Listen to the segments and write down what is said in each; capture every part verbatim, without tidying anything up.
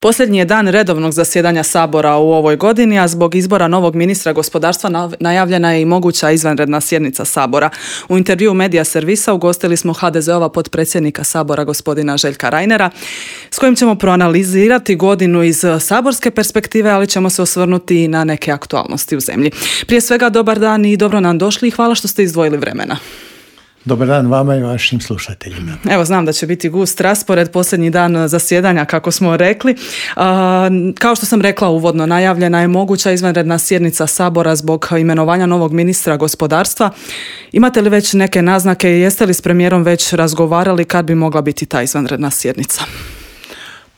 Posljednji je dan redovnog zasjedanja Sabora u ovoj godini, a zbog izbora novog ministra gospodarstva najavljena je i moguća izvanredna sjednica Sabora. U intervjuu Medija servisa ugostili smo ha de ze-ova potpredsjednika Sabora gospodina Željka Reinera, s kojim ćemo proanalizirati godinu iz saborske perspektive, ali ćemo se osvrnuti i na neke aktualnosti u zemlji. Prije svega, dobar dan i dobro nam došli i hvala što ste izdvojili vremena. Dobar dan vama i vašim slušateljima. Evo, znam da će biti gust raspored, posljednji dan zasjedanja, kako smo rekli. Kao što sam rekla uvodno, najavljena je moguća izvanredna sjednica Sabora zbog imenovanja novog ministra gospodarstva. Imate li već neke naznake i jeste li s premijerom već razgovarali kad bi mogla biti ta izvanredna sjednica?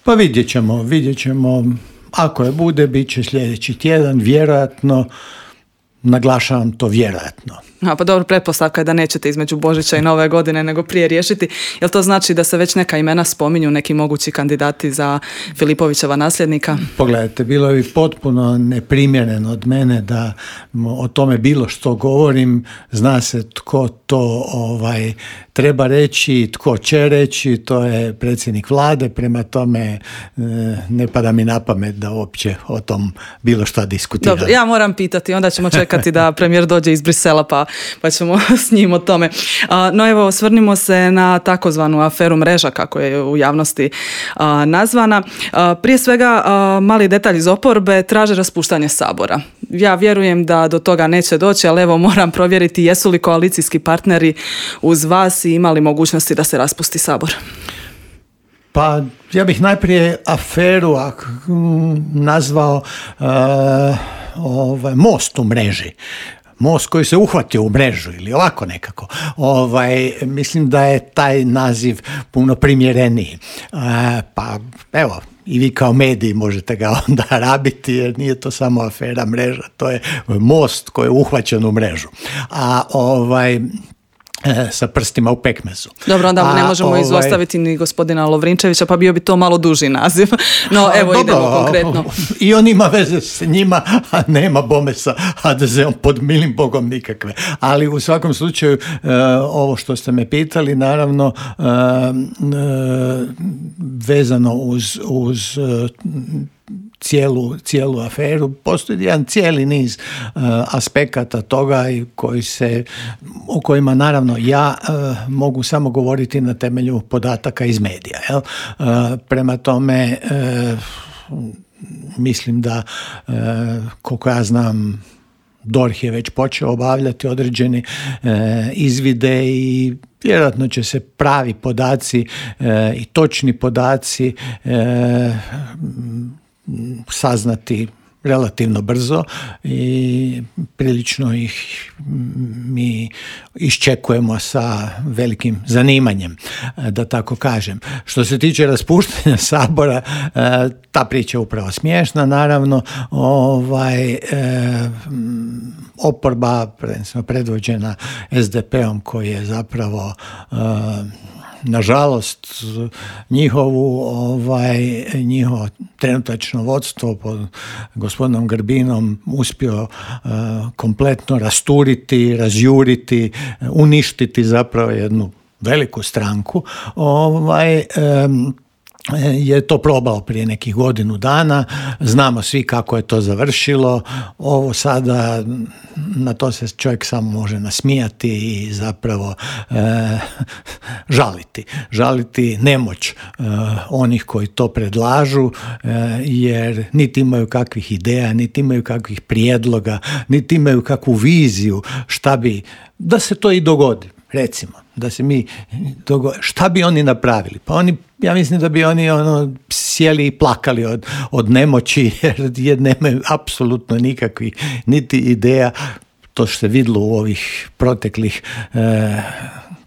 Pa vidjet ćemo, vidjet ćemo. Ako je bude, bit će sljedeći tjedan, vjerojatno. Naglašavam to vjerojatno. A pa dobro, pretpostavka je da nećete između Božića i Nove godine nego prije riješiti. Jel to znači da se već neka imena spominju, neki mogući kandidati za Filipovićeva nasljednika? Pogledajte, bilo bi potpuno neprimjereno od mene da o tome bilo što govorim. Zna se tko to ovaj, treba reći, tko će reći, to je predsjednik vlade, prema tome ne pada mi na pamet da uopće o tom bilo što diskutiram. Dobro, ja moram pitati, onda ćemo čekati da premijer dođe iz Brisela pa, pa ćemo s njim o tome. No evo, osvrnimo se na takozvanu aferu Mreža, kako je u javnosti nazvana. Prije svega, mali detalj iz oporbe, traže raspuštanje Sabora. Ja vjerujem da do toga neće doći, ali evo moram provjeriti jesu li koalicijski partneri uz vas i imali mogućnosti da se raspusti Sabor. Pa ja bih najprije aferu nazvao uh, ovaj, most u mreži. Most koji se uhvatio u mrežu ili ovako nekako. Ovaj, mislim da je taj naziv puno primjereniji. Uh, pa evo, i vi kao mediji možete ga onda rabiti jer nije to samo afera Mreža, to je most koji je uhvaćen u mrežu. A ovaj... sa prstima u pekmezu. Dobro, onda mu ne možemo ovaj... izostaviti ni gospodina Lovrinčevića, pa bio bi to malo duži naziv. No, evo, dobro, idemo konkretno. I on ima veze s njima, a nema bome sa ha de ze-om pod milim Bogom nikakve. Ali u svakom slučaju, uh, ovo što ste me pitali, naravno, uh, uh, vezano uz, uz uh, Cijelu, cijelu aferu, postoji jedan cijeli niz uh, aspekata toga i koji se, o kojima naravno ja uh, mogu samo govoriti na temelju podataka iz medija. Jel? Uh, prema tome, uh, mislim da, uh, koliko ja znam, D O R H je već počeo obavljati određene uh, izvide i vjerojatno će se pravi podaci uh, i točni podaci uh, saznati relativno brzo i prilično ih mi iščekujemo sa velikim zanimanjem, da tako kažem. Što se tiče raspuštanja Sabora, ta priča je upravo smiješna, naravno. Ovaj, oporba, predvođena es de pe-om, koji je zapravo nažalost njihovu ovaj njihovo trenutačno vodstvo pod gospodinom Grbinom uspio uh, kompletno rasturiti, razjuriti, uništiti zapravo jednu veliku stranku. Ovaj um, je to probao prije nekih godinu dana, znamo svi kako je to završilo. Ovo sada, na to se čovjek samo može nasmijati i zapravo e, žaliti. Žaliti nemoć e, onih koji to predlažu, e, jer niti imaju kakvih ideja, niti imaju kakvih prijedloga, niti imaju kakvu viziju šta bi, da se to i dogodi. Recimo, da se mi dogodi, šta bi oni napravili? Pa oni, ja mislim da bi oni ono sjeli i plakali od, od nemoći jer, jer nemaju apsolutno nikakvih niti ideja. To što se vidjelo u ovih proteklih e,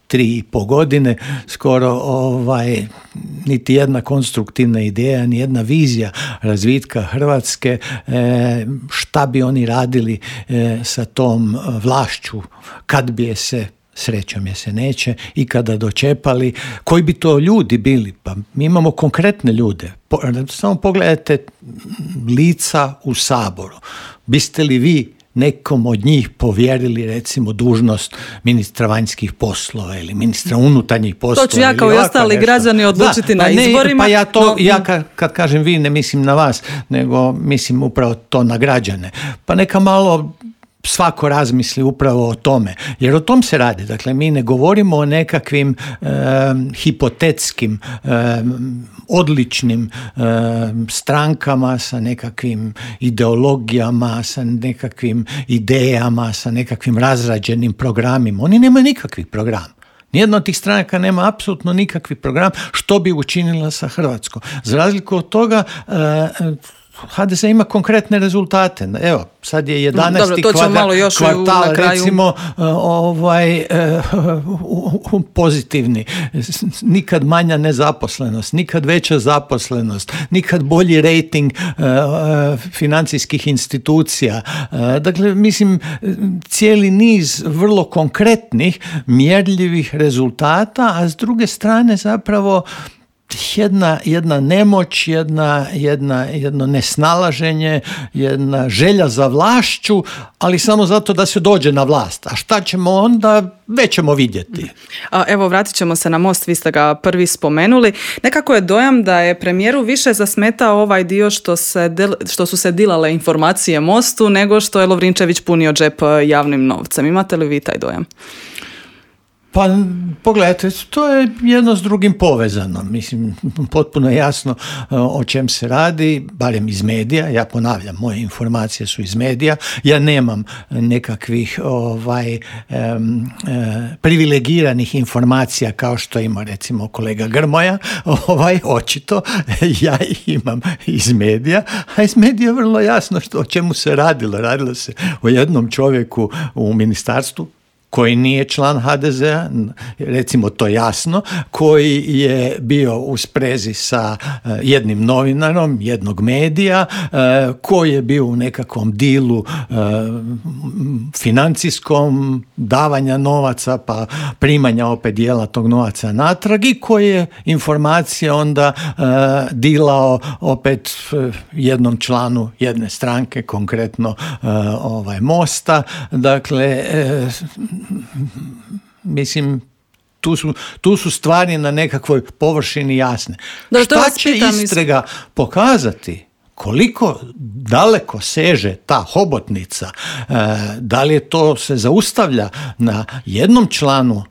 tri i po godine, skoro ovaj, niti jedna konstruktivna ideja, ni jedna vizija razvitka Hrvatske, e, šta bi oni radili e, sa tom vlašću kad bi je se, srećom je se neće, i kada dočepali, koji bi to ljudi bili? Pa mi imamo konkretne ljude. Po, samo pogledajte lica u Saboru. Biste li vi nekom od njih povjerili recimo dužnost ministra vanjskih poslova ili ministra unutarnjih poslova. To ću ja kao i ostali nešto. Građani odlučiti da, na ne, izborima. Pa ja to, no, ja kad, kad kažem vi ne mislim na vas, nego mislim upravo to na građane. Pa neka malo svako razmisli upravo o tome, jer o tom se radi. Dakle, mi ne govorimo o nekakvim e, hipotetskim, e, odličnim e, strankama sa nekakvim ideologijama, sa nekakvim idejama, sa nekakvim razrađenim programima. Oni nemaju nikakvih programa. Nijedna od tih stranaka nema apsolutno nikakvi program što bi učinila sa Hrvatskom. Za razliku od toga, e, ha de se ima konkretne rezultate. Evo, sad je jedanaesti kvadra, kvartal, recimo, ovaj, pozitivni. Nikad manja nezaposlenost, nikad veća zaposlenost, nikad bolji rejting financijskih institucija. Dakle, mislim, cijeli niz vrlo konkretnih, mjerljivih rezultata, a s druge strane zapravo Jedna, jedna nemoć, jedna, jedna, jedno nesnalaženje, jedna želja za vlašću, ali samo zato da se dođe na vlast. A šta ćemo onda, već ćemo vidjeti. A, evo, vratit ćemo se na Most, vi ste ga prvi spomenuli. Nekako je dojam da je premijeru više zasmetao ovaj dio što, se del, što su se dilale informacije Mostu, nego što je Lovrinčević punio džep javnim novcem. Imate li vi taj dojam? Pa pogledajte, to je jedno s drugim povezano. Mislim, potpuno jasno o čem se radi, barem iz medija. Ja ponavljam, moje informacije su iz medija. Ja nemam nekakvih ovaj, um, privilegiranih informacija kao što ima recimo kolega Grmoja. Ovaj, očito, ja ih imam iz medija. A iz medija je vrlo jasno što, o čemu se radilo. Radilo se o jednom čovjeku u ministarstvu koji nije član ha de zea, recimo to jasno, koji je bio u sprezi sa jednim novinarom, jednog medija, koji je bio u nekakvom dilu financijskom, davanja novaca, pa primanja opet dijela tog novaca natrag i koji je informacije onda dilao opet jednom članu jedne stranke, konkretno ovaj Mosta. Dakle, mislim, tu su, tu su stvari na nekakvoj površini jasne. Da, šta će istraga pokazati? Koliko daleko seže ta hobotnica? E, da li je to se zaustavlja na jednom članu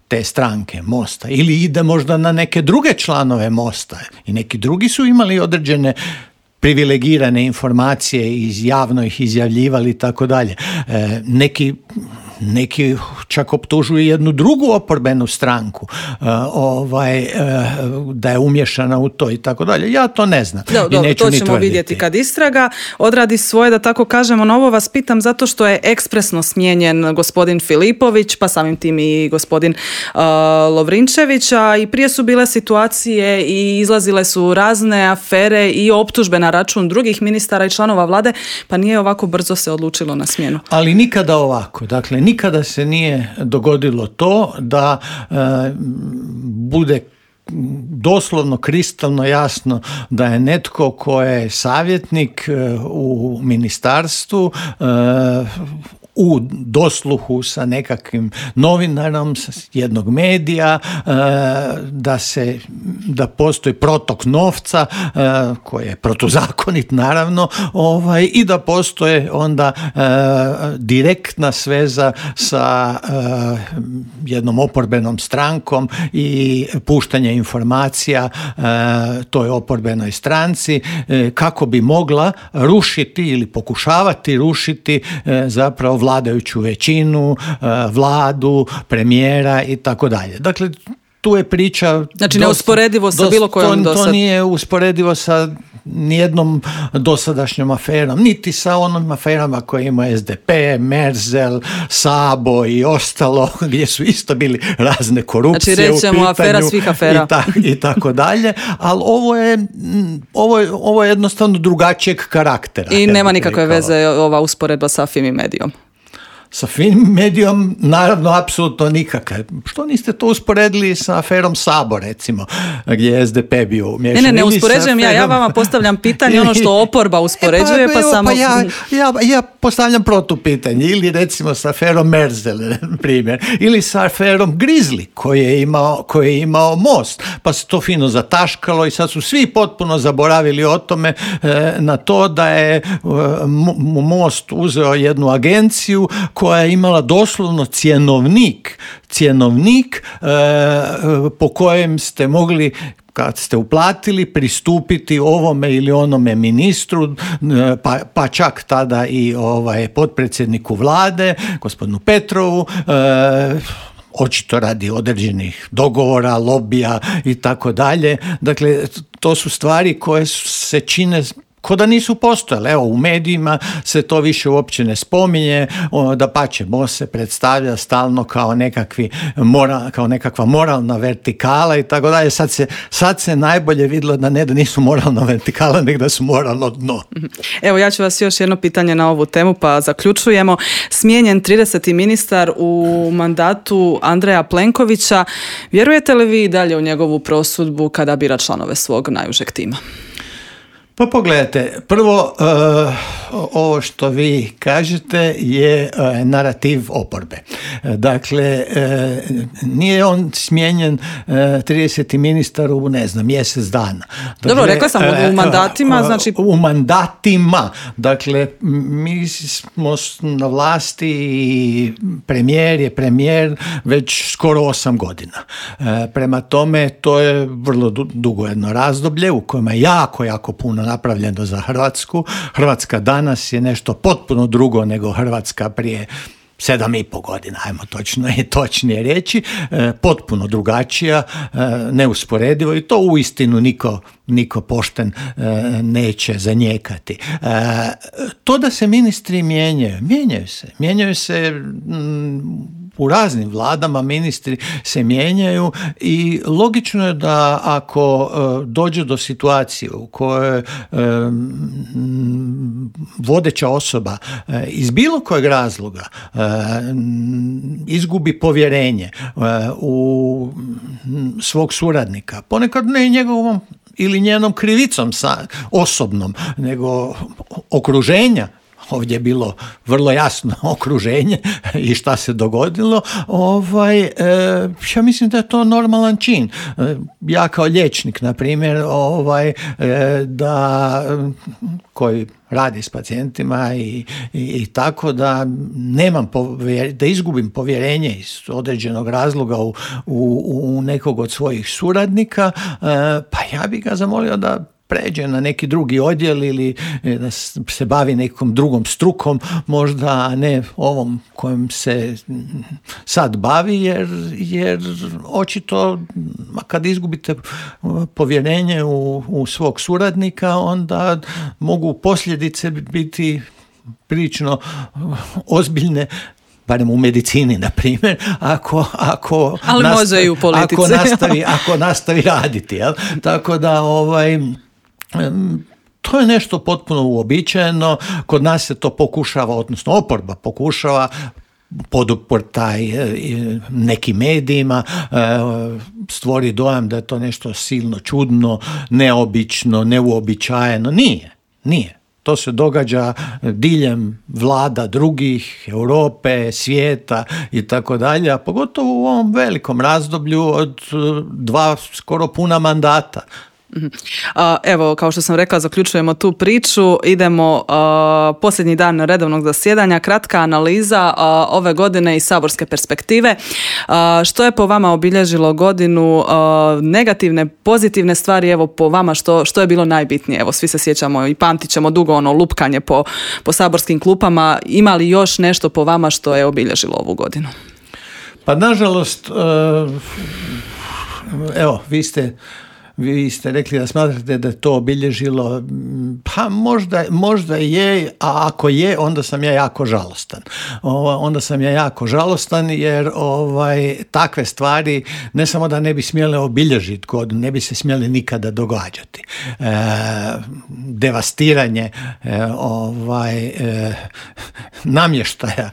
te stranke Mosta ili ide možda na neke druge članove Mosta i neki drugi su imali određene privilegirane informacije i javno ih izjavljivali i tako dalje. Neki Neki čak optužuju jednu drugu oporbenu stranku uh, ovaj, uh, da je umješana u to i tako dalje. Ja to ne znam. Da, i neću to ni ćemo tvrditi. Vidjeti kad istraga odradi svoje, da tako kažemo. No, ovo vas pitam zato što je ekspresno smijenjen gospodin Filipović, pa samim tim i gospodin uh, Lovrinčević, a i prije su bile situacije i izlazile su razne afere i optužbe na račun drugih ministara i članova vlade, pa nije ovako brzo se odlučilo na smjenu. Ali nikada ovako. Dakle, nikada se nije dogodilo to da e, bude doslovno kristalno jasno da je netko ko je savjetnik e, u ministarstvu e, u dosluhu sa nekakvim novinarom sa jednog medija, da se da postoji protok novca koji je protuzakonit naravno, ovaj, i da postoje onda direktna sveza sa jednom oporbenom strankom i puštanje informacija toj oporbenoj stranci kako bi mogla rušiti ili pokušavati rušiti zapravo vladajuću većinu, vladu, premijera i tako dalje. Dakle, tu je priča... Znači, neusporedivo sa bilo kojom dosad. To nije usporedivo sa nijednom dosadašnjom aferom, niti sa onom aferama koje ima es de pe, Merzel, Sabo i ostalo, gdje su isto bili razne korupcije znači, rećemo, u pitanju. Afera svih afera. I, ta, i tako dalje, ali ovo je, ovo, je, ovo je jednostavno drugačijeg karaktera. I nema nikakve veze ova usporedba sa Fimi Medijom. Sa Fimi Medijom naravno apsolutno nikakve. Što niste to usporedili sa aferom Sabo, recimo, gdje je S D P bio umješan? Ne, ne, ne uspoređujem aferom... ja, ja vama postavljam pitanje ono što oporba uspoređuje, e pa, pa, pa samo... Pa ja, ja, ja postavljam protupitanje, ili recimo sa aferom Merzel, primjer, ili sa aferom Grizli, koji je imao, koji je imao Most, pa se to fino zataškalo i sad su svi potpuno zaboravili o tome, e, na to da je e, Most uzeo jednu agenciju koja je imala doslovno cjenovnik, cjenovnik e, po kojem ste mogli, kad ste uplatili, pristupiti ovome ili onome ministru, pa, pa čak tada i ovaj potpredsjedniku vlade, gospodinu Petrovu, e, očito radi određenih dogovora, lobija i tako dalje. Dakle, to su stvari koje se čine ko da nisu postojale. Evo, u medijima se to više uopće ne spominje, dapače, Most se predstavlja stalno kao nekakvi moral, kao nekakva moralna vertikala i tako dalje. Sad se, sad se najbolje vidjelo da ne da nisu moralna vertikala, nego da su moralno dno. Evo, ja ću vas još jedno pitanje na ovu temu, pa zaključujemo. Smijenjen trideseti ministar u mandatu Andreja Plenkovića. Vjerujete li vi dalje u njegovu prosudbu kada bira članove svog najužeg tima? Pa pogledajte, prvo uh, ovo što vi kažete je uh, narativ oporbe. Dakle, uh, nije on smijenjen uh, trideseti ministar u, ne znam, mjesec dana. Dakle, dobro, rekla sam u mandatima, znači... U mandatima. Dakle, mi smo na vlasti i premijer je premijer već skoro osam godina. Uh, prema tome, to je vrlo dugo jedno razdoblje u kojem je jako, jako puno napravljeno za Hrvatsku. Hrvatska danas je nešto potpuno drugo nego Hrvatska prije sedam i pol godina, ajmo točno i točnije reći, e, potpuno drugačija, e, neusporedivo i to uistinu niko, niko pošten e, neće zanijekati. E, to da se ministri mijenjaju, mijenjaju se, mijenjaju se m, u raznim vladama, ministri se mijenjaju i logično je da ako e, dođe do situacije u kojoj e, m, vodeća osoba e, iz bilo kojeg razloga e, izgubi povjerenje u svog suradnika, ponekad ne njegovom ili njenom krivicom sa osobnom, nego okruženja. Ovdje je bilo vrlo jasno okruženje i šta se dogodilo. Ovaj, e, ja mislim da je to normalan čin. E, ja kao liječnik, na primjer, ovaj, e, da koji radi s pacijentima i, i, i tako da nemam povjer, da izgubim povjerenje iz određenog razloga u, u, u nekog od svojih suradnika, e, pa ja bih ga zamolio da pređe na neki drugi odjel ili da se bavi nekom drugom strukom, možda ne ovom kojim se sad bavi, jer, jer očito kad izgubite povjerenje u, u svog suradnika, onda mogu posljedice biti prilično ozbiljne, barem u medicini, na primjer, ako, ako, ali nastavi, može i u politici. ako, nastavi, ako nastavi raditi. Jel? Tako da ovaj... to je nešto potpuno uobičajeno, kod nas se to pokušava, odnosno oporba pokušava poduportaj nekim medijima, stvori dojam da je to nešto silno čudno, neobično, neuobičajeno. Nije, nije. To se događa diljem vlada drugih, Europe, svijeta i tako dalje, a pogotovo u ovom velikom razdoblju od dva skoro puna mandata. Evo, kao što sam rekla, zaključujemo tu priču, idemo uh, posljednji dan redovnog zasjedanja, kratka analiza uh, ove godine iz saborske perspektive. Uh, što je po vama obilježilo godinu, uh, negativne, pozitivne stvari, evo po vama što, što je bilo najbitnije? Evo, svi se sjećamo i pamtit ćemo dugo ono lupkanje po, po saborskim klupama. Ima li još nešto po vama što je obilježilo ovu godinu? Pa nažalost, uh, evo, vi ste Vi ste rekli da smatrate da je to obilježilo, pa možda, možda je, a ako je, onda sam ja jako žalostan. O, onda sam ja jako žalostan jer ovaj, takve stvari ne samo da ne bi smjele obilježiti godinu, ne bi se smjele nikada događati. E, devastiranje e, ovaj, e, namještaja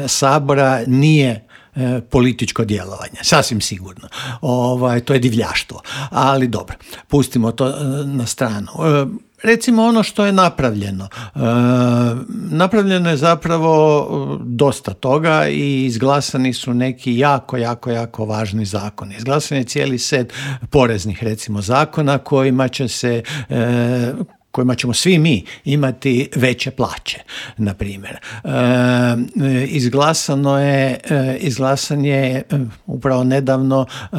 Sabora nije e, političko djelovanje, sasvim sigurno. Ovaj, to je divljaštvo, ali dobro, pustimo to e, na stranu. E, Recimo ono što je napravljeno. E, napravljeno je zapravo dosta toga i izglasani su neki jako, jako, jako važni zakoni. Izglasan je cijeli set poreznih, recimo, zakona kojima će se e, kojima ćemo svi mi imati veće plaće, na primjer. E, izglasano je, e, izglasan je upravo nedavno e,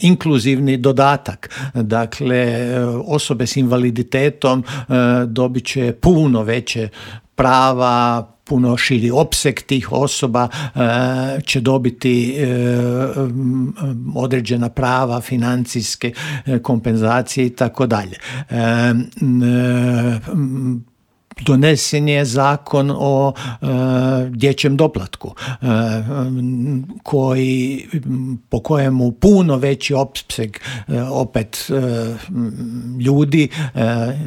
inkluzivni dodatak. Dakle, osobe s invaliditetom e, dobit će puno veće prava, puno širi opseg tih osoba e, će dobiti e, određena prava, financijske e, kompenzacije i tako dalje. Donesen je zakon o e, dječjem doplatku e, koji, po kojemu puno veći opseg e, opet e, ljudi e,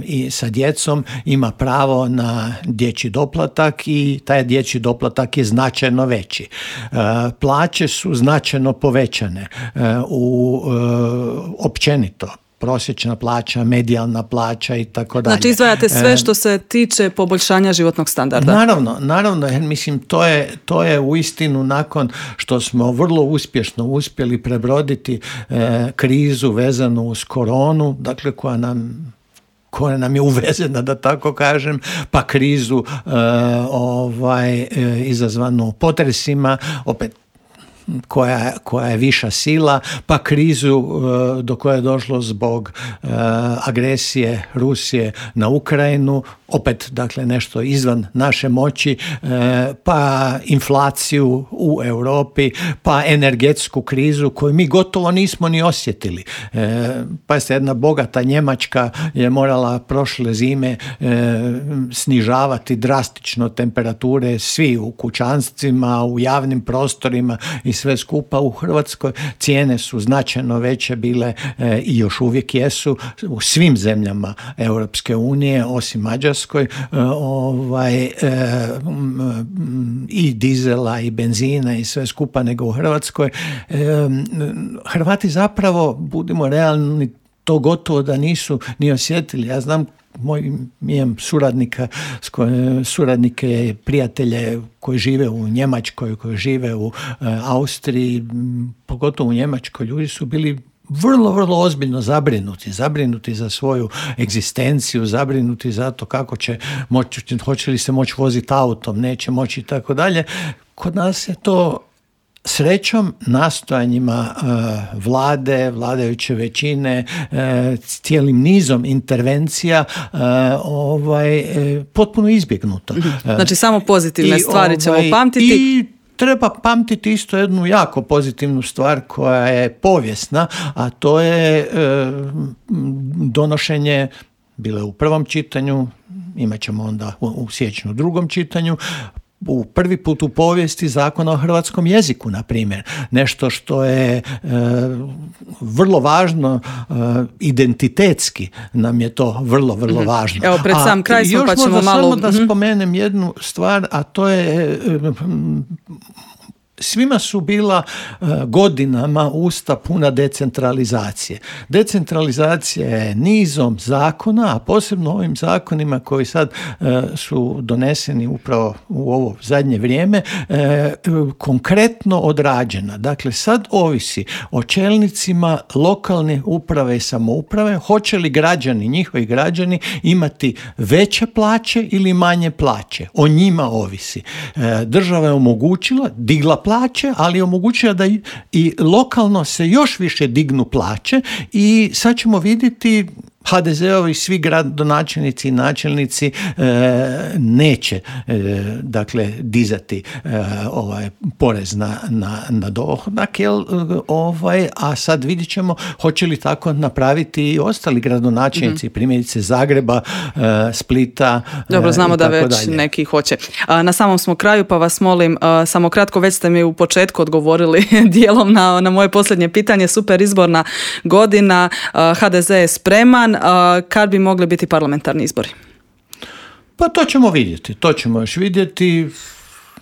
i sa djecom ima pravo na dječji doplatak i taj dječji doplatak je značajno veći. E, plaće su značajno povećane e, u e, općenito. Prosječna plaća, medijalna plaća i tako dalje. Znači izdvajate sve što se tiče poboljšanja životnog standarda. Naravno, naravno, jer mislim to je, to je uistinu nakon što smo vrlo uspješno uspjeli prebroditi e, krizu vezanu uz koronu, dakle koja nam koja nam je uvezena, da tako kažem, pa krizu e, ovaj, e, izazvanu potresima, opet Koja, koja je viša sila, pa krizu e, do koje je došlo zbog e, agresije Rusije na Ukrajinu, opet dakle nešto izvan naše moći, e, pa inflaciju u Europi, pa energetsku krizu koju mi gotovo nismo ni osjetili. E, pa se jedna bogata Njemačka je morala prošle zime e, snižavati drastično temperature, svi u kućanstvima, u javnim prostorima i sve skupa. U Hrvatskoj cijene su značajno veće bile e, i još uvijek jesu u svim zemljama Europske unije, osim Mađarskoj, e, ovaj, e, i dizela i benzina i sve skupa, nego u Hrvatskoj. E, Hrvati zapravo, budimo realni, to gotovo da nisu ni osjetili. Ja znam moj imam suradnika, suradnike, prijatelje koji žive u Njemačkoj, koji žive u e, Austriji, pogotovo u Njemačkoj, ljudi su bili vrlo, vrlo ozbiljno zabrinuti, zabrinuti za svoju egzistenciju, zabrinuti za to kako će moći, hoće li se moći voziti autom, neće moći i tako dalje. Kod nas je to srećom, nastojanjima uh, vlade, vladajuće većine, uh, cijelim nizom intervencija uh, ovaj, uh, potpuno izbjegnuto. Znači samo pozitivne I, stvari ćemo ovaj, pamtiti. I treba pamtiti isto jednu jako pozitivnu stvar koja je povijesna, a to je uh, donošenje, bilo je u prvom čitanju, imat ćemo onda u, u siječnju u drugom čitanju, u prvi put u povijesti Zakona o hrvatskom jeziku, na primjer. Nešto što je e, vrlo važno, e, identitetski nam je to vrlo, vrlo mm-hmm. važno. Evo, pred sam kraj smo, pa ćemo malo... Samo da mm-hmm. spomenem jednu stvar, a to je... E, svima su bila uh, godinama usta puna decentralizacije. Decentralizacija je nizom zakona, a posebno ovim zakonima koji sad uh, su doneseni upravo u ovo zadnje vrijeme, uh, konkretno odrađena. Dakle, sad ovisi o čelnicima lokalne uprave i samouprave, hoće li građani, njihovi građani, imati veće plaće ili manje plaće. O njima ovisi. Uh, država je omogućila, digla plaće, ali je omogućila da i, i lokalno se još više dignu plaće i sad ćemo vidjeti ha de ze-ovi svi gradonačelnici i načelnici e, neće e, dakle dizati e, ovaj porez na, na, na dohodak, jel, ovaj, a sad vidjet ćemo hoće li tako napraviti i ostali gradonačelnici, mm-hmm. primjerice Zagreba, e, Splita. Dobro, znamo e, da već dalje. Neki hoće. A, na samom smo kraju, pa vas molim, a, samo kratko, već ste mi u početku odgovorili dijelom na, na moje posljednje pitanje. Super izborna godina, a, ha de ze je spreman. dan, a, kad bi mogli biti parlamentarni izbori? Pa to ćemo vidjeti, to ćemo još vidjeti.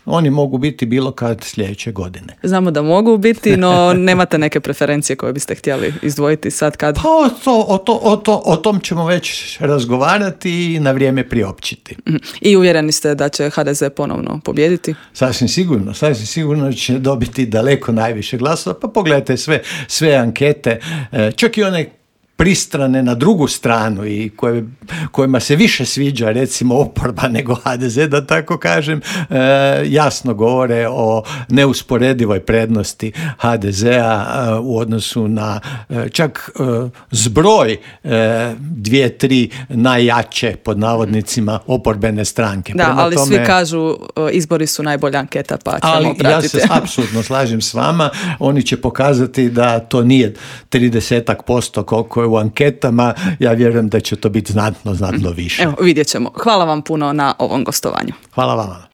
Oni mogu biti bilo kad sljedeće godine. Znamo da mogu biti, no nemate neke preferencije koje biste htjeli izdvojiti sad kad? Pa o, to, o, to, o, to, o tom ćemo već razgovarati i na vrijeme priopćiti. I uvjereni ste da će ha de ze ponovno pobijediti? Sasvim sigurno, sasvim sigurno će dobiti daleko najviše glasova. Pa pogledajte sve, sve ankete, čak i one pristrane na drugu stranu i koje, kojima se više sviđa recimo oporba nego ha de ze, da tako kažem, e, jasno govore o neusporedivoj prednosti ha de zea e, u odnosu na e, čak e, zbroj e, dvije, tri najjače pod navodnicima oporbene stranke. Da, Prema ali tome, svi kažu izbori su najbolja anketa, pa ćemo ali pratiti. Ja se apsolutno slažem s vama, oni će pokazati da to nije trideset posto koliko je u anketama, ja vjerujem da će to biti znatno, znatno više. Evo, vidjet ćemo. Hvala vam puno na ovom gostovanju. Hvala vama.